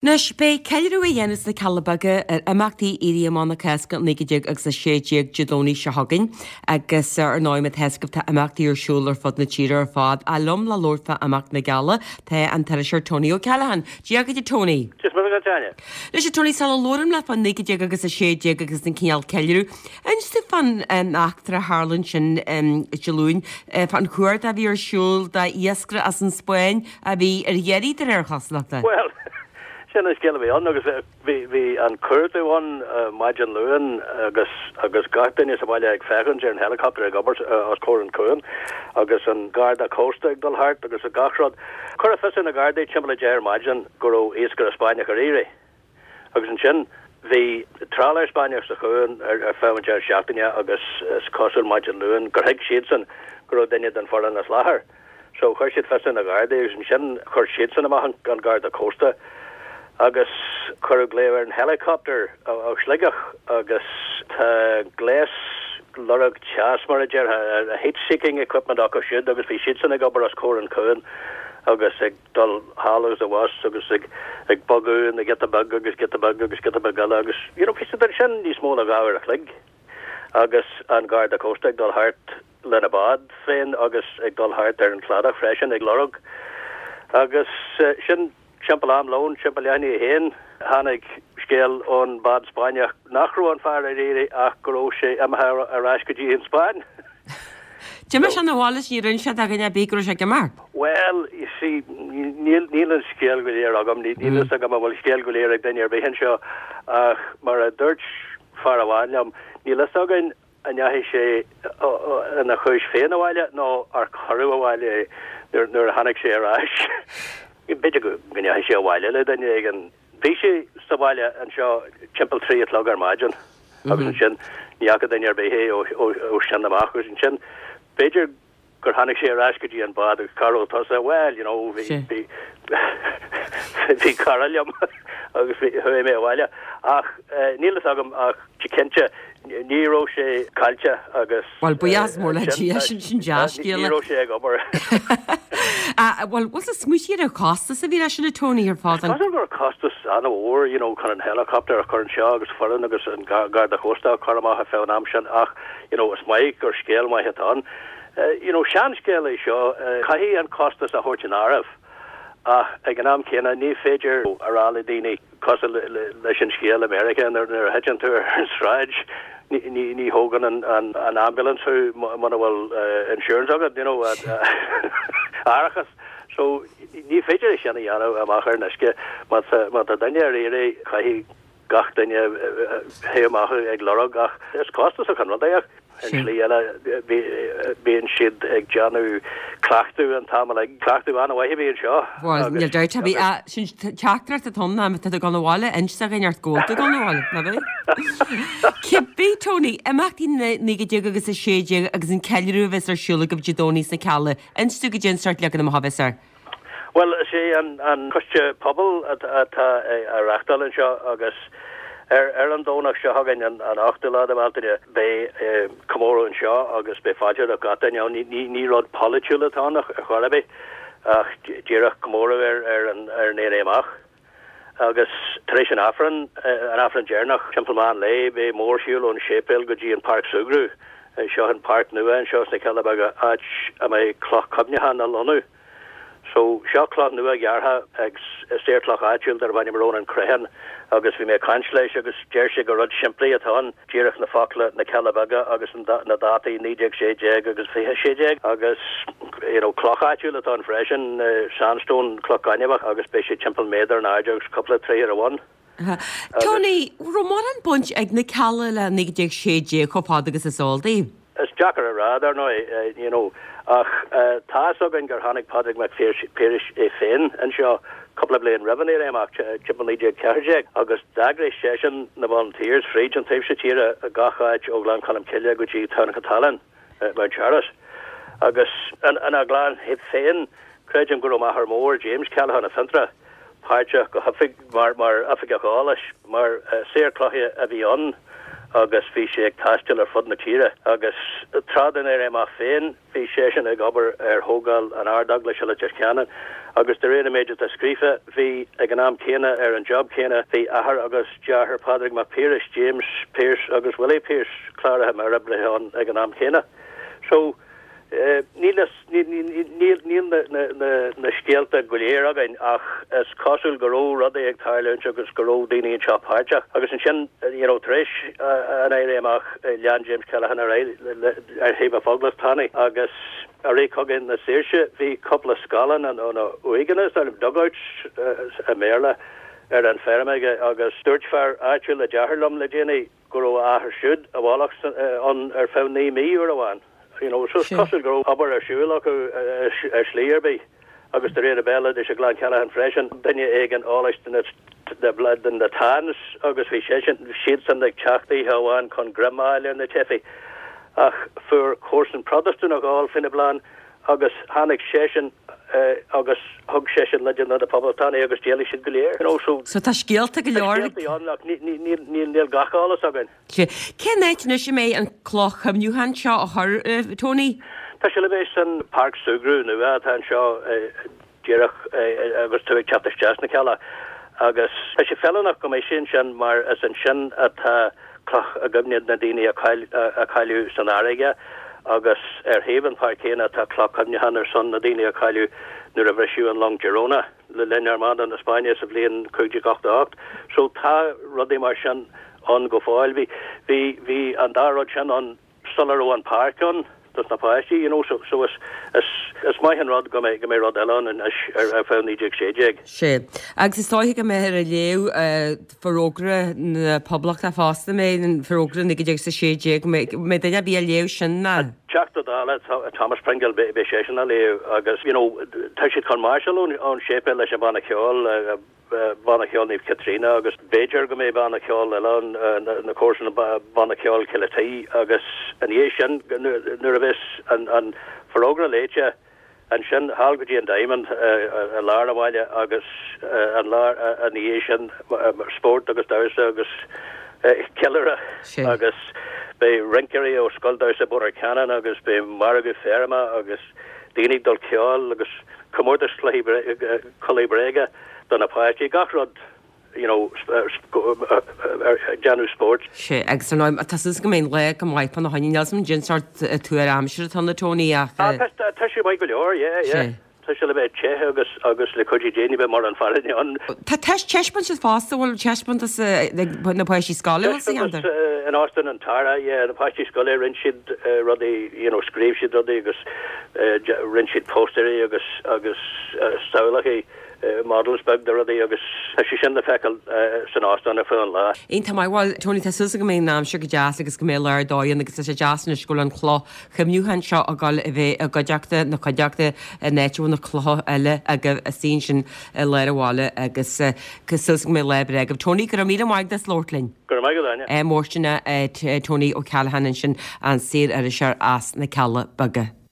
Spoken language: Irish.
Anois, beidh ceiliúradh á dhéanamh sna Cealla Beaga ar imeachtaí Éirí Amach na Cásca 1916 Dé Domhnaigh seo chugainn agus ar ndóigh mar atá a fhios agaibh tá imeachtaí ar siúl ar fud na tíre ar fad. Ach liom le labhairt fá imeacht na gCealla tá an t-iriseoir Tony O'Callaghan. Dia dhuit a Tony. Dia is Muire dhuit Áine. Anois a Tony, sula labhraím leat fá 19 agus 16 agus an cineál ceiliúradh, inis domh fán eachtra a tharla ansin Dé Luain, fán chuardach a bhí ar siúl d'iascaire as an Spáinn a bhí ar iarraidh de réir chosúlachta. Bhuel, sin an scéal a bhí ann agus bhí, bhí an cuardach ann maidin Luain agus, agus gach duine sa bhaile ag féachaint ar an helicopter ag obair os comhair an chuain agus an garda cósta ag dul thart agus gach rud. Cuireadh fios ar na Gardaí timpeall a 10 ar maidin go raibh iascaire Spáinneach ar iarraidh. Agus ansin bhí trálaer Spáinneach sa chuan ar feadh an deireadh seachtaine agus is cosúil maidin Luain gur thuig siadsan go raibh duine den foireann as láthair. So chuir siad fios ar na Gardaí agus ansin chuir siadsan amach an Garda Cósta agus cuireadh glaoch ar an helicopter ó Shligeach agus tá gléas lorg teas mar a déarfá, heat seeking equipment acu siúd agus bhí siadsan ag obair os comhair an chuain agus ag dul thall agus abhus agus ag ag bogadh ina giota beag agus giota beag agus giota beag eile agus you know bhí siad ansin níos mó ná 2 uair a chloig agus an Garda Cósta ag dul thart lena bád féin agus ag dul thart ar an chladach freisin ag lorg agus sin timpeall am lóin, timpeall leath i ndiaidh a haon, tháinig scéal ón bád Spáinneach nach raibh an fear ar iarraidh ach go raibh sé imithe ar ais go dtí an Spáinn. D'imigh sé 'na bhaile is níor inis sé do dhuine ar bith go raibh sé ag imeacht. Bhuel, you see, níl, níl an scéal go léir agam, níl fhios agam an bhfuil scéal go léir ag duine ar bith anseo, ach mar a dúirt fear amháin liom, níl fhios againn an ndeachaigh sé ina chúis féin abhaile nó ar cuireadh abhaile é nuair, nuair a tháinig sé ar ais. B'fhéidir go ndeachaigh sé abhaile le duine éigin. Bhí sé sa bhaile anseo timpeall 3 a chlog ar maidin agus ansin ní fhaca duine ar bith é ó sin amach agus ansin b'fhéidir gur tháinig sé ar ais go dtí an bád agus cá raibh tusa? Bhuel, you know, bhí bhí bhí cara liom agus bhí chuaigh mé abhaile ach níl fhios agam ach cinnte Ní raibh sé caillte agus. Bhuel, buíochas mór le Dia, sin sin dea-scéala. Ní raibh sé ag obair. Bhuel, bhfuil tú ag smaoitiú ar an chostas a bhí leis sin a Tony ar fad? Is cosúil go raibh costas an-mhór, you know, chun an helicopter a chur anseo agus foireann agus an Garda Cósta a chur amach ar feadh an am sin ach, you know, is maith gur scéal maith atá ann. You know, seanscéal é seo, caithfidh an costas a thabhairt in áireamh ach ag an am céanna ní féidir a rá le daoine, Cosúil leis an scéal i Meiriceá, nuair a thiteann tú ar an sráid, ní thógann an ambulance thú muna bhfuil insurance agat, you know, árachas. So, ní féidir é sin a dhéanamh amach ar an uisce. Má tá duine ar iarraidh, caithfidh gach duine theith amach ag lorg ach is costasach an rud é ach Ar an tslí eile, bíonn siad ag déanamh cleachtadh an t-am uilig. Cleachtadh an-mhaith a bhí anseo. Bhuel, níl dabht ar bith. Sin teachtaireacht atá ann ná má tá tú ag dul abhaile, inis do dhuine ort go bhfuil tú ag dul abhaile, ná bhí? Cibé, Tony, imeachtaí na 19 agus 16 agus an ceiliúradh a bheas ar siúl agaibh Dé Domhnaigh sna Cealla, inis dúinn goidé an sórt leagan amach a bheas air. Bhuel, is é an Coiste Pobail atá á reáchtáil anseo agus ar an Domhnach seo chugainn, an 8ú lá de Bhealtaine, beidh comóradh anseo agus beidh fáilte roimh gach duine ann. Ní rud polaitiúil atá ann ar chor ar bith ach díreach comóradh ar an Éirí Amach. Agus tar éis an Aifrinn, an Aifreann deireanach, timpeall meán lae, beidh mórshiúl ón séipéal go dtí an Páirc Súgradh. Seo an páirc nua anseo sna Cealla Beaga, áit a mbeidh cloch cuimhneacháin á lonnú. So, seo cloch nua gearrtha ag saor cloch áitiúil darb ainm Rónán Crehan agus bhí mé ag caint leis agus deir sé gur rud simplí atá ann, díreach na focla 'Na Cealla Beaga' agus na dátaí 1916 agus 2016 agus you know cloch áitiúil atá ann freisin, sandstone, cloch ghainmheach agus beidh sé timpeall méadar in airde agus cúpla troigh ar a bhun. Tony, raibh mórán baint ag na Cealla le 1916 chomh fada agus is eol daoibh? Is deacair a rá, dar ndóigh, you know, ach tá's againn gur tháinig Pádraig Mac Piarais é féin anseo cúpla bliain roimh an Éirí Amach, timpeall 1914, agus d'eagraigh seisean na Volunteers fríd an taobh seo tíre, gach áit ó Ghleann Cholm Cille go dtí Tamhnach an tSalainn. Mount Charles. Agus ina gclann féin, creidim go raibh m'athair mór, James Callaghan i Fionntrá, páirteach go hoifig mar mar oifigeach eolais, mar saor cloiche a bhí ann. agus bhí sé ag taisteal ar fud na tíre agus tráth den Éirí Amach féin bhí seisean ag obair ar thógáil an Ard-Eaglais i Leitir Ceanainn agus de réir an méid atá scríofa bhí ag an am céanna ar an job céanna bhí athair agus deartháir Pádraig Mac Piarais, James Pearse agus Willie Pearse cláraithe mar oibrithe ann ag an am céanna. So. Níl na scéalta go léir againn ach is cosúil go raibh rudaí ag tarlúint agus go raibh daoine anseo páirteach. Agus ansin, you know, tar éis an Éirí Amach, lean James Callaghan ar aghaidh ar thaobh an Phoblachtánaigh agus i rith Cogadh na Saoirse bhí cúpla scáileán nó uaigheanna, is dóigh liom, dugouts i mBéarla, ar an feirm aige agus dúirt fear áitiúil a deartháir liom le déanaí, go raibh a athair siúd i bhfolach ann ar feadh 9 mí uair amháin. You know, so is cosúil go raibh obair ar siúl acu ar shlí ar bith. Agus de réir an bhéaloidis i gclann Callaghan freisin, duine éigin eolais de na de na Tans agus bhí seisean, siadsan ag teacht oíche amháin chun greim a fháil ar na teifigh. Ach fuair comharsan Protastúnach eol faoina bplean agus tháinig seisean agus thug seisean leide do na Poblachtánaigh agus d'éalaigh siad go léir. You know, so. So tá scéalta go leor. Tá scéaltaí ann ach níl gach eolas againn. Cén áit anois a mbeidh an cloch chuimhniúcháin seo á chur, Tony? Tá sé le bheith san páirc súgradh nua atá anseo díreach agus tú ag teacht isteach sna Cealla agus tá sé feiliúnach go mbeidh sé ansin mar is ansin atá cloch i gcuimhne na daoine a cailleadh san fharraige agus ar thaobh an pháirc chéanna tá cloch cuimhneacháin ar son na daoine a cailleadh nuair a bhriseadh an long Girona le linn Armada na Spáinne sa bhliain 1588. So tá rudaí mar sin ann go fóill. Bhí, bhí, bhí an dá rud sin ann sula raibh an páirc ann dos na páistí, you know, so, so is, is, is maith an rud go mbeidh, go mbeidh rud eile ann anois ar, ar feadh 1916. Sea. Agus is dóiche go mbeifear ag léamh Forógra na Poblachta fosta, mbeidh an Forógra 1916, mbeidh, mbeidh duine ar bith á léamh sin ná? Teachta Dála Thomas Pringle, beidh, beidh seisean á léamh agus, you know, tá siad chun máirseáil ón, ón séipéal leis an bhanna ceoil, Banna Ceoil Naomh Caitríona agus b'fhéidir go mbeidh banna ceoil eile ann, na comharsana Banna Ceoil Chill a' Tí agus ina dhiaidh sin nuair a bheas an forógra léite ansin thall go dtí an Diamond i lár an bhaile agus an lá ina dhiaidh sin spórt agus damhsa agus ceiliúradh agus beidh rinceoirí ó Scoil Damhsa Bhóthar Ceanainn agus beidh margadh feirme agus daoine ag dul ceoil agus comórtas cluichí culaith bréige do na páistí, gach rud you know déanamh spóirt. Sea, agus ar ndóigh, tá súil agam go mbeidh an lá go maith fána choinne, níl 'fhios a'm cén sórt tuar aimsire atá ann a Tony ach. Ah, tá sé maith go leor, yeah, yeah. Sea. Tá sé le bheith te agus agus le cuidiú Dé ní bheidh mórán fearthainne ann. Tá taispeántas fosta, bhfuil taispeántas ag na páistí scoile bhfuil sa cheantar? Taispeántas in Óstán an Tara, yeah, na páistí scoile rinne siad rudaí, you know, scríobh siad rudaí agus rinne siad póstaeirí agus agus samhlacha, models beag de rudaí agus tá sé sin le feiceáil san óstán ar feadh an lá. Iontach maith. Bhuel, Tony, tá súil agam go mbeidh an aimsir go deas agus go mbeidh lá ar dóigh ann agus tá sé deas anois go bhfuil an chloch chuimhniúcháin seo ag dul a bheith i gcuideachta na cuideachta in áit a bhfuil na clocha eile agaibh istigh ansin i lár an bhaile agus tá súil agam go mbeidh lá breá agaibh. Tony, go raibh míle maith agat as labhairt linn. Go raibh maith agat, Áine. Mórsteana Tony O'Callaghan ansin, an saor-iriseoir as na Cealla Beaga.